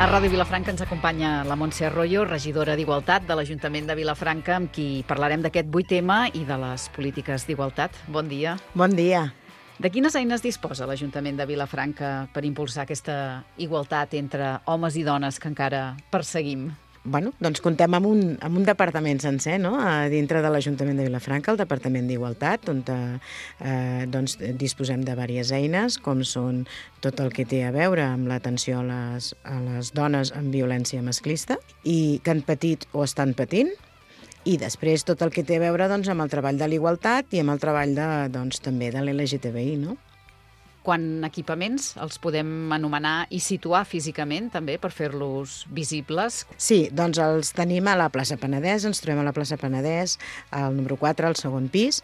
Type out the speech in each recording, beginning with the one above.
A Ràdio Vilafranca ens acompanya la Montse Arroyo, regidora d'Igualtat de l'Ajuntament de Vilafranca, amb qui parlarem d'aquest 8 tema i de les polítiques d'igualtat. Bon dia. Bon dia. De quines eines disposa l'Ajuntament de Vilafranca per impulsar aquesta igualtat entre homes i dones que encara perseguim? Doncs comptem amb un departament sencer, no?, a dintre de l'Ajuntament de Vilafranca, el Departament d'Igualtat, on disposem de diverses eines, com són tot el que té a veure amb l'atenció a les dones amb violència masclista i que han patit o estan patint, i després tot el que té a veure amb el treball de l'igualtat i amb el treball també de l'LGTBI, no? Quan equipaments els podem anomenar i situar físicament, també, per fer-los visibles? Sí, doncs els tenim a la plaça Penedès, ens trobem a la plaça Penedès, al número 4, al segon pis,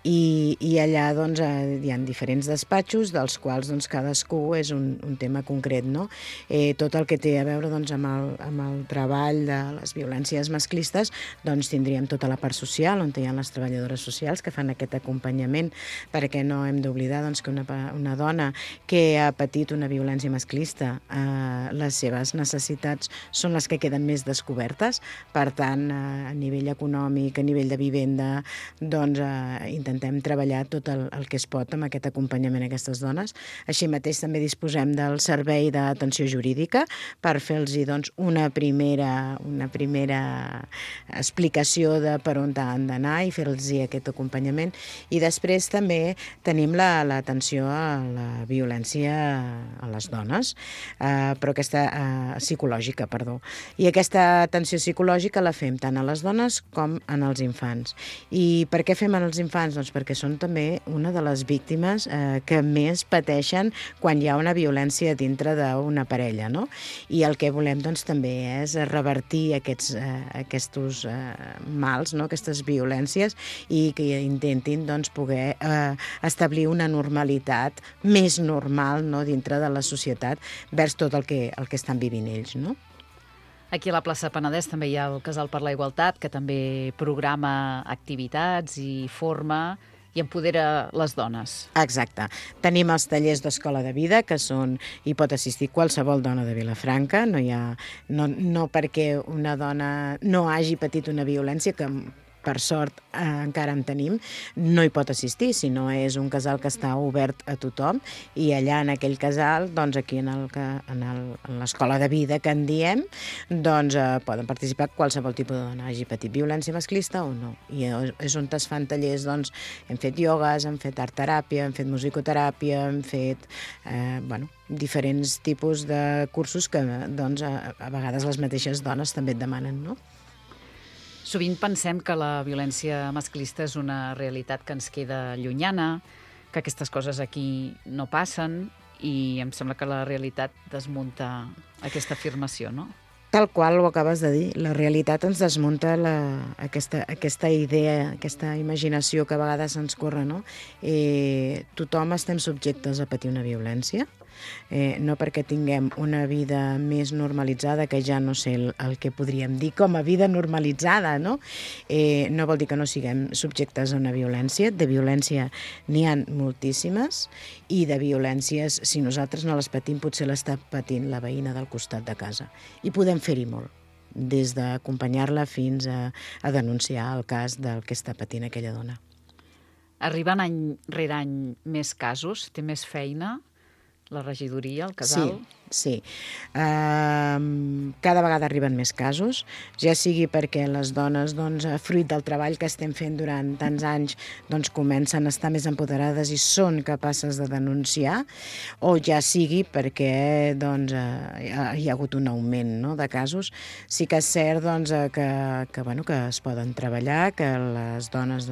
i allà hi ha diferents despatxos, dels quals cadascú és un tema concret, no? Tot el que té a veure amb el treball de les violències masclistes, tindríem tota la part social, on hi ha les treballadores socials que fan aquest acompanyament, perquè no hem d'oblidar que una dona que ha patit una violència masclista, les seves necessitats són les que queden més descobertes. Per tant, a nivell econòmic, a nivell de vivenda, intentem treballar tot el que es pot amb aquest acompanyament a aquestes dones. Així mateix també disposem del servei d'atenció jurídica per fer-los una primera explicació de per on han d'anar i fer-los aquest acompanyament. I després també tenim l'atenció a la violència a les dones, però aquesta psicològica, perdó. I aquesta atenció psicològica la fem tant a les dones com en els infants. I per què fem en els infants? Doncs perquè són també una de les víctimes que més pateixen quan hi ha una violència dintre d'una parella, no? I el que volem també és revertir aquests mals, no?, aquestes violències, i que intentin poder establir una normalitat més normal, no?, dintre de la societat vers tot el que estan vivint ells, no? Aquí a la plaça Penedès també hi ha el Casal per la Igualtat, que també programa activitats i forma i empodera les dones. Exacte. Tenim els tallers d'Escola de Vida, que hi pot assistir qualsevol dona de Vilafranca, no perquè una dona no hagi patit una violència, que per sort encara en tenim, no hi pot assistir, sinó és un casal que està obert a tothom, i allà en aquell casal, aquí en l'escola de vida que en diem, poden participar qualsevol tipus de dona, hagi patit violència masclista o no. I és on es fan tallers, hem fet iogues, hem fet art-teràpia, hem fet musicoteràpia, hem fet diferents tipus de cursos que a vegades les mateixes dones també et demanen, no? Sovint pensem que la violència masclista és una realitat que ens queda llunyana, que aquestes coses aquí no passen, i em sembla que la realitat desmunta aquesta afirmació, no? Tal qual ho acabes de dir, la realitat ens desmunta aquesta idea, aquesta imaginació que a vegades ens corre, no? Tothom estem subjectes a patir una violència, no perquè tinguem una vida més normalitzada, que ja no sé el que podríem dir com a vida normalitzada, no? No vol dir que no siguem subjectes a una violència. De violència n'hi ha moltíssimes, i de violències, si nosaltres no les patim, potser l'està patint la veïna del costat de casa. I podem fer-hi molt, des d'acompanyar-la fins a denunciar el cas del que està patint aquella dona. Arriben any rere any més casos? Té més feina la regidoria, el casal? Sí. Cada vegada arriben més casos, ja sigui perquè les dones, fruit del treball que estem fent durant tants anys, comencen a estar més empoderades i són capaces de denunciar, o ja sigui perquè hi ha hagut un augment, no?, de casos. Sí que és cert que es poden treballar, que les dones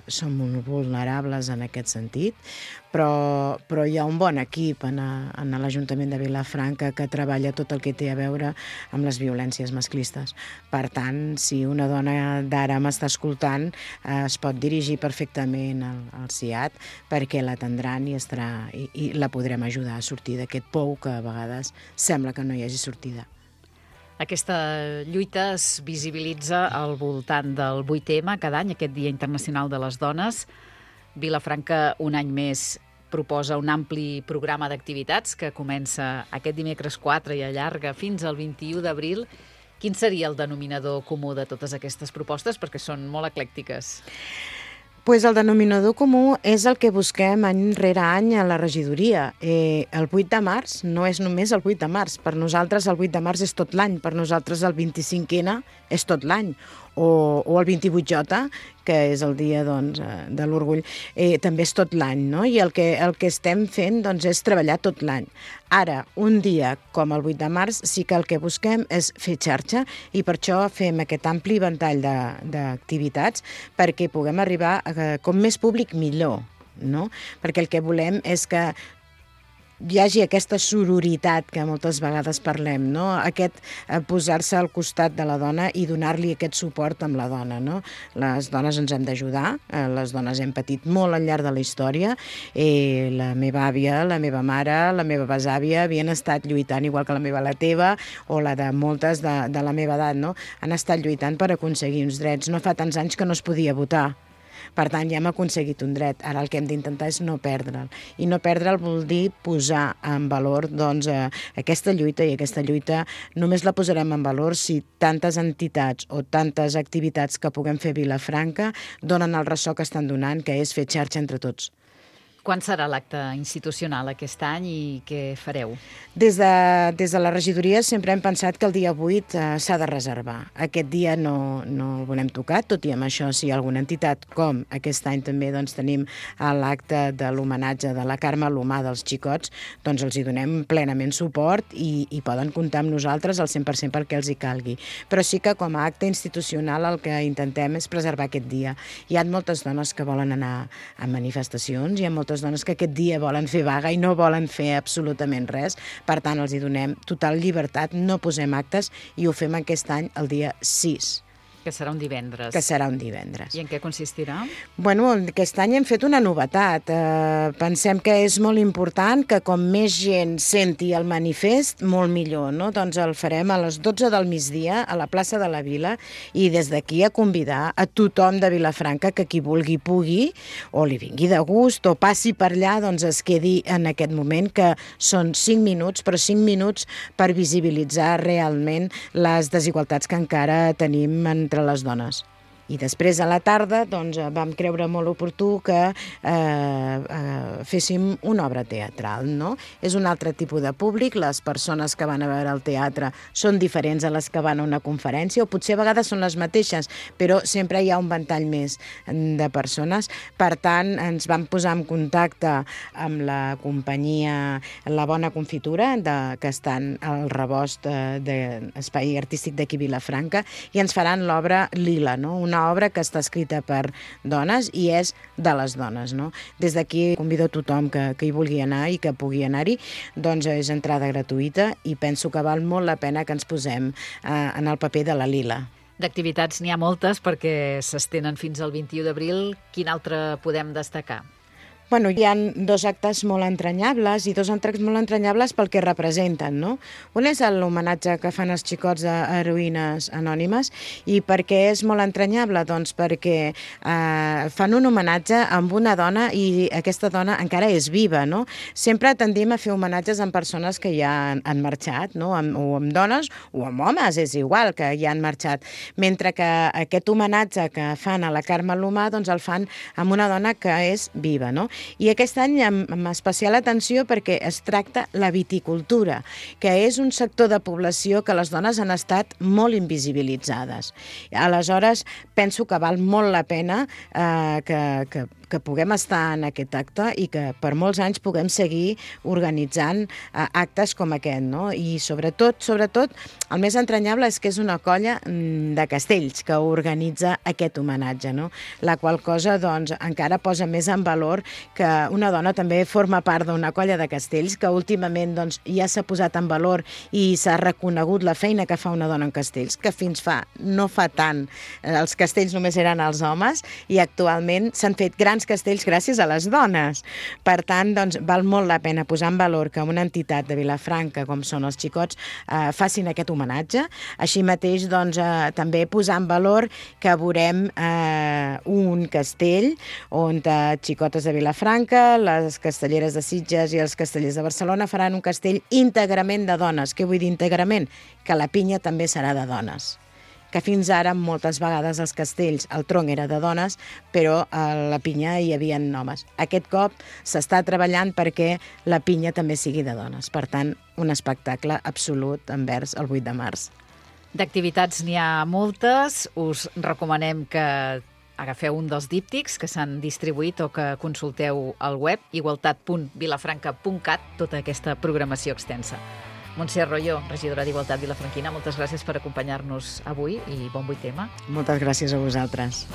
són molt vulnerables en aquest sentit, però hi ha un bon equip en l'Ajuntament de Vilafranca que treballa tot el que té a veure amb les violències masclistes. Per tant, si una dona d'ara m'està escoltant, es pot dirigir perfectament al CIAT, perquè l'atendran i la podrem ajudar a sortir d'aquest pou que a vegades sembla que no hi hagi sortida. Aquesta lluita es visibilitza al voltant del 8M cada any, aquest Dia Internacional de les Dones. Vilafranca un any més proposa un ampli programa d'activitats que comença aquest dimecres 4 i allarga fins al 21 d'abril. Quin seria el denominador comú de totes aquestes propostes? Perquè són molt eclèctiques. Pues el denominador comú és el que busquem any rere any a la regidoria. El 8 de març no és només el 8 de març. Per nosaltres el 8 de març és tot l'any. Per nosaltres el 25N és tot l'any. O el 28J, que és el dia doncs, de l'orgull, també és tot l'any, no? I el que estem fent doncs, és treballar tot l'any. Ara, un dia com el 8 de març, sí que el que busquem és fer xarxa i per això fem aquest ampli ventall d'activitats perquè puguem arribar a com més públic millor, no? Perquè el que volem és que hi hagi aquesta sororitat que moltes vegades parlem, no? Aquest posar-se al costat de la dona i donar-li aquest suport amb la dona, no? Les dones ens hem d'ajudar, les dones hem patit molt al llarg de la història, la meva àvia, la meva mare, la meva besàvia havien estat lluitant, igual que la teva o la de moltes de la meva edat, no? Han estat lluitant per aconseguir uns drets. No fa tants anys que no es podia votar. Per tant, ja hem aconseguit un dret. Ara el que hem d'intentar és no perdre'l. I no perdre'l vol dir posar en valor doncs, aquesta lluita, i aquesta lluita només la posarem en valor si tantes entitats o tantes activitats que puguem fer a Vilafranca donen el ressò que estan donant, que és fer xarxa entre tots. Quan serà l'acte institucional aquest any i què fareu? Des de la regidoria sempre hem pensat que el dia 8 s'ha de reservar. Aquest dia no el volem tocar, tot i amb això si hi ha alguna entitat, com aquest any també doncs, tenim l'acte de l'homenatge de la Carme Alomà dels xicots, doncs els hi donem plenament suport i poden comptar amb nosaltres al 100% perquè els hi calgui. Però sí que com a acte institucional el que intentem és preservar aquest dia. Hi ha moltes dones que volen anar a manifestacions, hi ha moltes dones que aquest dia volen fer vaga i no volen fer absolutament res. Per tant, els hi donem total llibertat, no posem actes i ho fem aquest any el dia 6. Que serà un divendres. Que serà un divendres. I en què consistirà? Bueno, aquest any hem fet una novetat. Pensem que és molt important que com més gent senti el manifest, molt millor, no? Doncs el farem a les 12 del migdia a la plaça de la Vila i des d'aquí a convidar a tothom de Vilafranca que qui vulgui pugui o li vingui de gust o passi per allà, doncs es quedi en aquest moment que són 5 minuts, però 5 minuts per visibilitzar realment les desigualtats que encara tenim entre les dones. I després a la tarda doncs, vam creure molt oportú que féssim una obra teatral, no? És un altre tipus de públic, les persones que van a veure el teatre són diferents a les que van a una conferència, o potser a vegades són les mateixes, però sempre hi ha un ventall més de persones. Per tant, ens vam posar en contacte amb la companyia La Bona Confitura, que estan al rebost d'Espai Artístic d'aquí Vilafranca, i ens faran l'obra Lila, no? Una obra que està escrita per dones i és de les dones, no? Des d'aquí convido a tothom que hi vulgui anar i que pugui anar-hi, doncs és entrada gratuïta i penso que val molt la pena que ens posem en el paper de la Lila. D'activitats n'hi ha moltes perquè s'estenen fins al 21 d'abril. Quin altre podem destacar? Bueno, hi ha 2 actes molt entranyables i 2 actes molt entranyables pel que representen, no? Un és l'homenatge que fan els xicots d'heroïnes anònimes i per què és molt entranyable? Doncs perquè fan un homenatge amb una dona i aquesta dona encara és viva, no? Sempre tendim a fer homenatges amb persones que ja han marxat, no? O amb dones o amb homes, és igual, que ja han marxat. Mentre que aquest homenatge que fan a la Carme Alomà, doncs el fan amb una dona que és viva, no? I aquest any amb especial atenció perquè es tracta la viticultura, que és un sector de població que les dones han estat molt invisibilitzades. Aleshores, penso que val molt la pena que puguem estar en aquest acte i que per molts anys puguem seguir organitzant actes com aquest, no? I sobretot, el més entranyable és que és una colla de castells que organitza aquest homenatge, no? La qual cosa, doncs, encara posa més en valor que una dona també forma part d'una colla de castells que últimament doncs, ja s'ha posat en valor i s'ha reconegut la feina que fa una dona en castells, que no fa tant els castells només eren els homes i actualment s'han fet grans diferents castells gràcies a les dones. Per tant, doncs, val molt la pena posar en valor que una entitat de Vilafranca, com són els Xicots, facin aquest homenatge. Així mateix, doncs, també posar en valor que veurem un castell on xicotes de Vilafranca, les castelleres de Sitges i els castellers de Barcelona faran un castell íntegrament de dones. Què vull dir íntegrament? Que la pinya també serà de dones. Que fins ara moltes vegades els castells, el tronc era de dones, però a la pinya hi havia homes. Aquest cop s'està treballant perquè la pinya també sigui de dones. Per tant, un espectacle absolut envers el 8 de març. D'activitats n'hi ha moltes. Us recomanem que agafeu un dels díptics que s'han distribuït o que consulteu al web igualtat.vilafranca.cat tota aquesta programació extensa. Montse Arroyo, regidora d'Igualtat vilafranquina, moltes gràcies per acompanyar-nos avui i bon 8M. Moltes gràcies a vosaltres.